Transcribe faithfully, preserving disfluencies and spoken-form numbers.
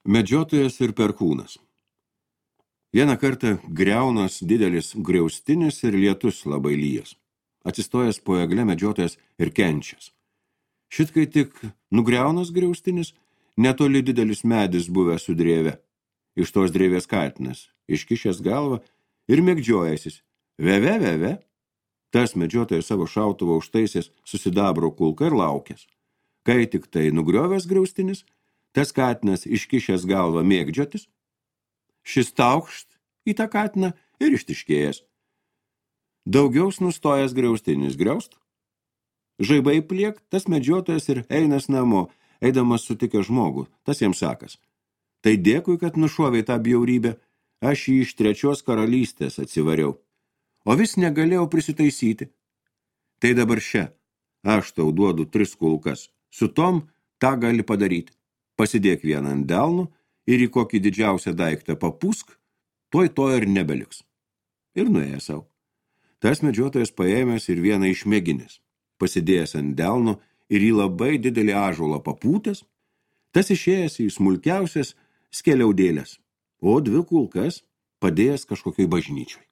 Medžiotojas ir perkūnas. Vieną kartą griaunas didelis griaustinis ir lietus labai lyjas. Atsistojęs po egle medžiotojas ir kenčias. Šit kai tik nugriaunas griaustinis, netoli didelis medis buvęs su drėve. Iš tos drėvės katinas, iškišęs galvą ir mėgdžiojasis. Veve, veve. Tas medžiotojas savo šautuvą užtaisęs susidabro kulką ir laukęs. Kai tik tai nugriovęs griaustinis, tas katinas iškišęs galvą mėgdžiotis, šis taukšt į tą katiną ir ištiškėjęs. Daugiaus nustojęs griaustinis griaust. Žaibai pliek, tas medžiotojas ir einas namo, eidamas sutikė žmogų, tas jam sakas. Tai dėkui, kad nušovei tą bjaurybę, aš jį iš trečios karalystės atsivariau, o vis negalėjau prisitaisyti. Tai dabar šia, aš tau duodu tris kulkas, su tom tą gali padaryti. Pasidėk vieną ant delnų ir į kokį didžiausią daiktą papūsk, tuoj to ir nebeliks. Ir nuėjo savo. Tas medžiotojas paėmęs ir vieną išmėginęs, pasidėjęs ant delno ir į labai didelį ąžuolą papūtęs, tas išėjęs į smulkiausias skeliaudėlės, o dvi kulkas padėjęs kažkokiai bažnyčioj.